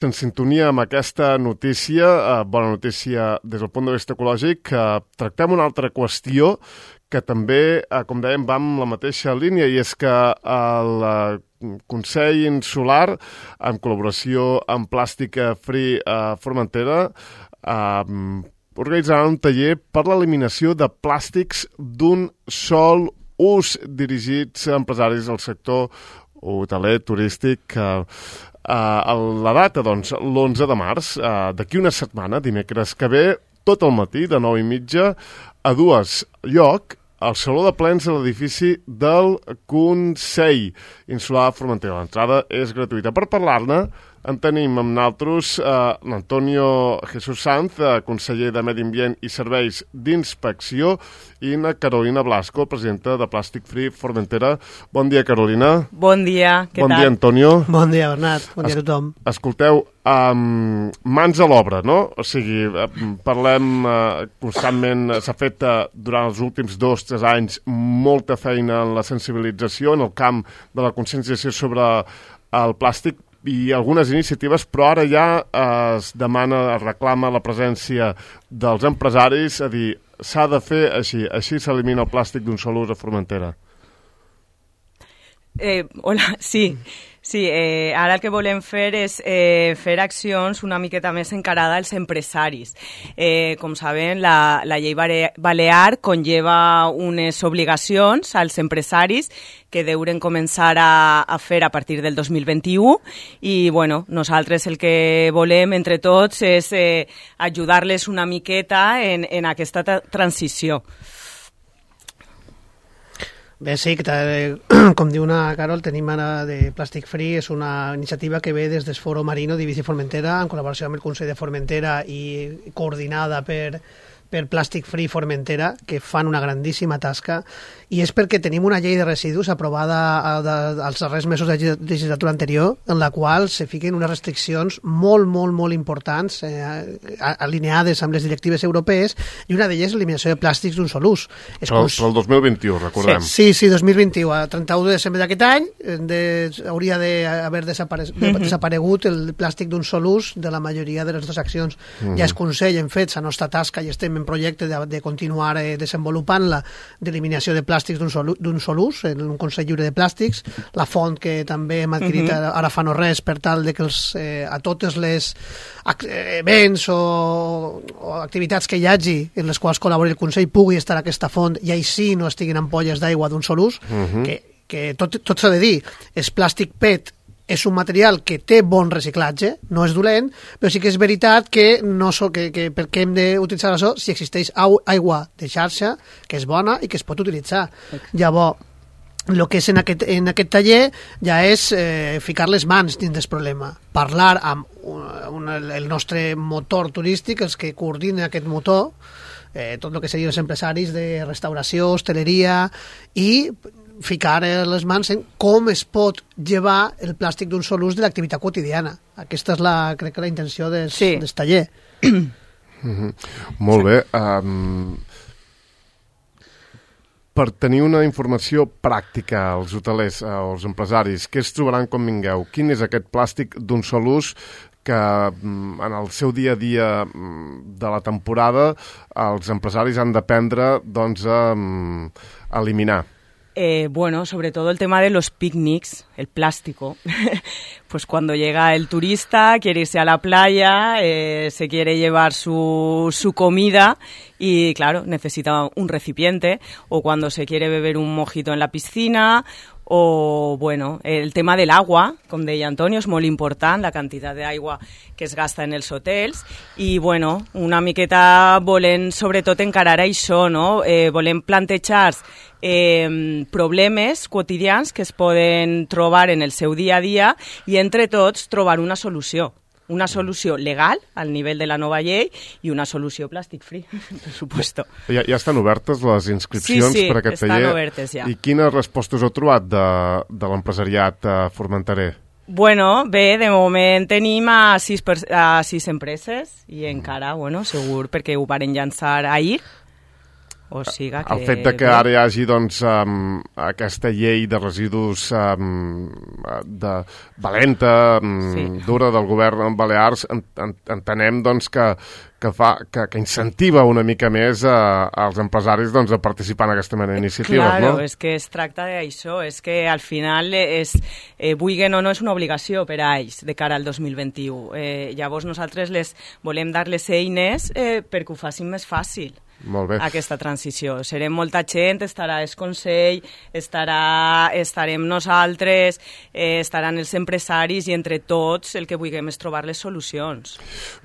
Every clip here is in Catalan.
En sintonia amb aquesta notícia, bona notícia des del punt de vista ecològic, tractem una altra qüestió que també, com dèiem, va amb la mateixa línia, i és que el Consell Insular, en col·laboració amb Plàstica Free Formentera, organitzarà un taller per l'eliminació de plàstics d'un sol ús dirigits a empresaris del sector hoteler, turístic. La data, doncs, l'11 de març, d'aquí una setmana, dimecres que ve, tot el matí, de 9:30 a 2, lloc al Saló de Plens de l'edifici del Consell Insular Formentera. L'entrada és gratuïta. Per parlar-ne, en tenim amb nosaltres l'Antonio Jesús Sanz, conseller de Medi Ambient i Serveis d'Inspecció, i na Carolina Blasco, presidenta de Plàstic Free Formentera. Bon dia, Carolina. Bon dia, què tal? Bon dia, Antonio. Bon dia, Bernat. Bon dia a tothom. Escolteu, mans a l'obra, no? O sigui, parlem constantment, s'ha fet durant els últims 2-3 anys molta feina en la sensibilització, en el camp de la conscienciació sobre el plàstic, i algunes iniciatives, però ara ja es demana, es reclama la presència dels empresaris, a dir, s'ha de fer així s'elimina el plàstic d'un sol ús a Formentera. Hola, sí, ara el que volem fer és fer accions una miqueta més encarada als empresaris. Com saben, la llei balear conlleva unes obligacions als empresaris que deuen començar a fer a partir del 2021, i bueno, nosaltres el que volem entre tots és ajudar-les una miqueta en aquesta transició. Bé, sí, com diu una Carol, tenim ara de Plàstic Free, és una iniciativa que ve des del Foro Marino d'Eivissa i Formentera, en col·laboració amb el Consell de Formentera i coordinada per Plàstic Free Formentera, que fan una grandíssima tasca, i és perquè tenim una llei de residus aprovada als darrers mesos de legislatura anterior, en la qual se fiquen unes restriccions molt, molt, molt importants, alineades amb les directives europees, i una d'elles és l'eliminació de plàstics d'un sol ús. Però el 2021, recordem. Sí, 2021. A 31 de desembre d'aquest any hauria d'haver desaparegut el plàstic d'un sol ús de la majoria de les nostres accions. Ja és Consell, hem fet la nostra tasca i estem en projecte de continuar desenvolupant-la, d'eliminació de plàstics d'un sol ús, en un Consell Lliure de Plàstics, la font que també hem adquirit ara fa no res, per tal de que a totes les events o activitats que hi hagi en les quals col·labori el Consell pugui estar aquesta font, i així no estiguin ampolles d'aigua d'un sol ús, que tot s'ha de dir, és plàstic PET, és un material que té bon reciclatge, no és dolent, però sí que és veritat que per què hem d'utilitzar això si existeix aigua de xarxa, que és bona i que es pot utilitzar. Llavors, el que és en aquest taller ja és ficar les mans dins del problema, parlar amb el nostre motor turístic, els que coordinen aquest motor, tot el que serien els empresaris de restauració, hostaleria, i ficar les mans en com es pot llevar el plàstic d'un sol ús de l'activitat quotidiana. Aquesta és crec que la intenció del taller. Molt bé. Per tenir una informació pràctica als hotelers, als empresaris, què es trobaran quan vingueu? Quin és aquest plàstic d'un sol ús que en el seu dia a dia de la temporada els empresaris han d'aprendre a eliminar? Bueno, sobre todo el tema de los picnics, el plástico. Pues cuando llega el turista, quiere irse a la playa, se quiere llevar su comida y, claro, necesita un recipiente, o cuando se quiere beber un mojito en la piscina, o, bueno, el tema del agua, com deia Antonio, és molt important, la quantitat d'aigua que es gasta en els hotels, i, bueno, una miqueta volem, sobretot, encarar això, no? Volem plantejar problemes quotidians que es poden trobar en el seu dia a dia i, entre tots, trobar una solució legal al nivell de la nova llei i una solució plàstic free, per supuesto. Ja estan obertes les inscripcions per aquest taller? Sí, estan obertes ja. I quines respostes heu trobat de l'empresariat formenterer? Bueno, bé, de moment tenim a 6 empreses i encara, bueno, segur, perquè ho varen llançar ahir. O siga que... El fet de que ara hi hagi doncs, aquesta llei de residus de valenta, dura del govern Balears, entenem doncs, que incentiva una mica més als empresaris doncs, a participar en aquesta mena d'iniciatives. Claro, no? És que es tracta d'això, és que al final vulguen o no és una obligació per a ells de cara al 2021. Llavors nosaltres les volem dar les eines perquè ho facin més fàcil. Molt bé. Aquesta transició. Serem molta gent, estarà el Consell, estarem nosaltres, estaran els empresaris i entre tots el que vulguem és trobar les solucions.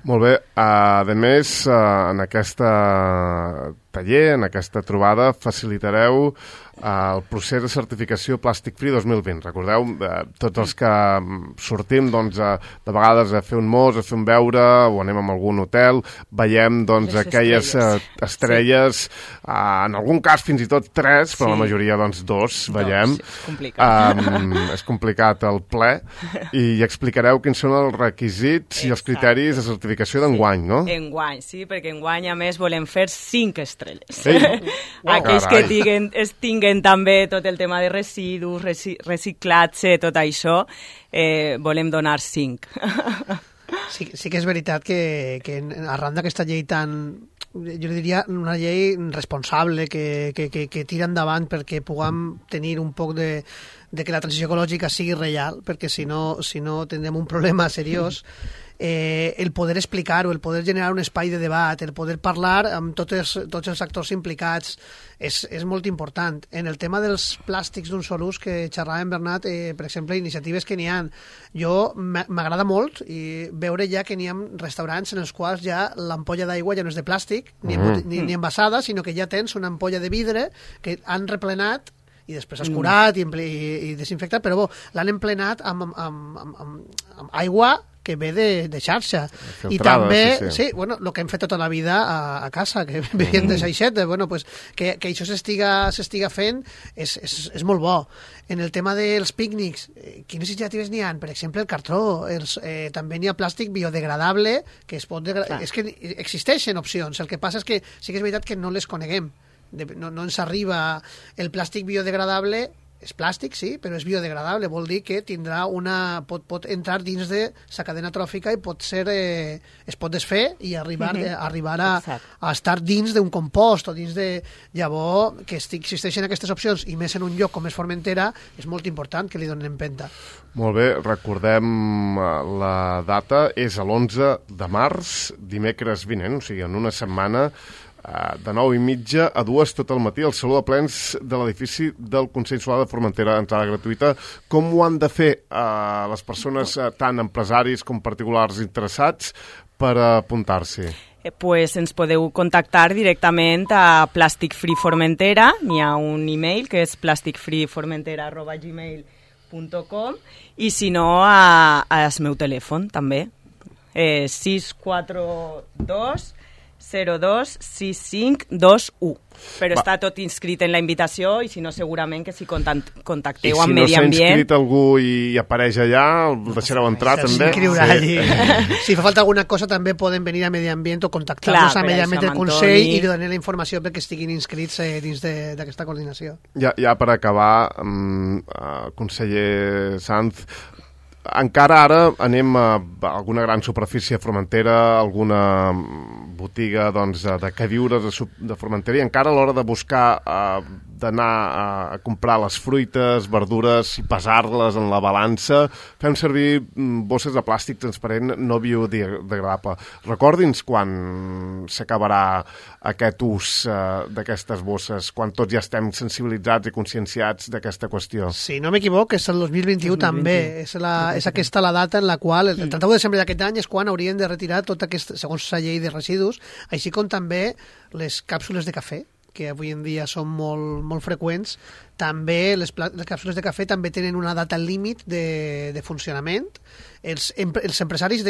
Molt bé. A més, en aquesta taller, en aquesta trobada, facilitareu el procés de certificació Plastic Free 2020. Recordeu, tots els que sortim doncs, de vegades a fer un mos, a fer un beure, o anem a algun hotel, veiem doncs, aquelles estrelles, en algun cas fins i tot 3, però la majoria doncs 2 veiem. És complicat. És complicat el ple, i explicareu quins són els requisits i els criteris de certificació d'enguany, no? Enguany, sí, perquè enguany a més volem fer 5 estrelles. Carai. Aquells que tinguen també tot el tema de residus, reciclatge, tot això, volem donar 5. Sí que és veritat que arran d'aquesta llei tan, jo diria, una llei responsable que tira endavant perquè puguem tenir un poc de que la transició ecològica sigui real, perquè si no tindrem un problema seriós. El poder explicar-ho, el poder generar un espai de debat, el poder parlar amb tots els actors implicats és molt important. En el tema dels plàstics d'un sol ús que xerràvem, Bernat, per exemple, iniciatives que n'hi ha, m'agrada molt i veure ja que n'hi ha restaurants en els quals ja l'ampolla d'aigua ja no és de plàstic ni envasada, sinó que ja tens una ampolla de vidre que han replenat i després has curat i desinfectat, però l'han emplenat amb aigua que ve de xarxa. Filtrada, I també, sí, bueno, el que hem fet tota la vida a casa, que vivien de xaixet, bueno, pues, que això s'estiga fent és molt bo. En el tema dels pícnics, quines iniciatives n'hi ha? Per exemple, el cartró, també n'hi ha plàstic biodegradable, que es pot és que existeixen opcions, el que passa és que sí que és veritat que no les coneguem. No ens arriba el plàstic biodegradable, és plàstic, sí, però és biodegradable, vol dir que tindrà pot entrar dins de la cadena tròfica i es pot desfer i arribar a estar dins d'un compost o dins de... Llavors, que existeixen aquestes opcions i més en un lloc com és Formentera, és molt important que li donen empenta. Molt bé, recordem la data, és l'11 de març, dimecres vinent, o sigui, en una setmana, de 9:30 a 2 tot el matí al Saló de Plens de l'edifici del Consell Insular de Formentera, entrada gratuïta. Com ho han de fer les persones, tant empresaris com particulars interessats, per apuntar-s'hi? Pues ens podeu contactar directament a Plastic Free Formentera, n'hi ha un email que és plasticfreeformentera@gmail.com i si no al meu telèfon també, 642 026521. Però està tot inscrit en la invitació i si no segurament que si contacteu amb Medi Ambient... I si no s'ha inscrit algú i apareix allà, el deixareu entrar també? Allí. Si fa falta alguna cosa també poden venir a Medi Ambient o contactar-nos a Medi Ambient del Consell i donar la informació perquè estiguin inscrits dins d'aquesta coordinació. Ja per acabar, conseller Sanz, encara ara anem a alguna gran superfície a Formentera, alguna botiga doncs, de queviures de Formentera, i encara a l'hora de buscar, d'anar a comprar les fruites, verdures i pesar-les en la balança, fem servir bosses de plàstic transparent no biodegradable. Recordi'ns quan s'acabarà aquest ús d'aquestes bosses, quan tots ja estem sensibilitzats i conscienciats d'aquesta qüestió. Si no m'equivoc, és el 2021 també. És aquesta la data en la qual, el 31 de desembre d'aquest any, és quan haurien de retirar tot aquest, segons la llei de residus, així com també les càpsules de cafè, que avui en dia són molt freqüents, També les càpsules de cafè també tenen una data límit de funcionament. Els empresaris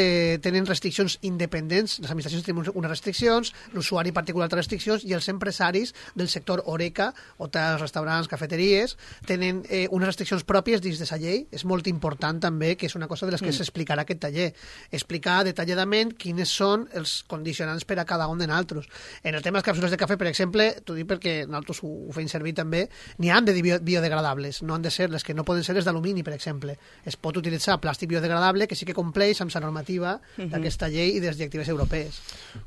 tenen restriccions independents, les administracions tenen unes restriccions, l'usuari particular té restriccions, i els empresaris del sector Horeca, hotels, restaurants, cafeteries, tenen unes restriccions pròpies dins de la llei. És molt important també, que és una cosa de les que s'explicarà aquest taller, explicar detalladament quines són els condicionants per a cada un de nosaltres. En el tema de les càpsules de cafè, per exemple, t'ho dic perquè nosaltres ho fem servir també, n'hi han de biodegradables, no han de ser les que no poden ser les d'alumini, per exemple. Es pot utilitzar plàstic biodegradable que sí que compleix amb la normativa d'aquesta llei i de les directives europees.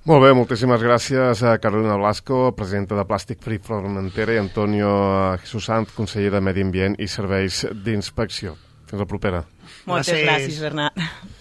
Molt bé, moltíssimes gràcies a Carolina Blasco, presidenta de Plàstic Free Formentera, i Antonio Jesús Sant, conseller de Medi Ambient i Serveis d'Inspecció. Fins la propera. Moltes gràcies, Bernat.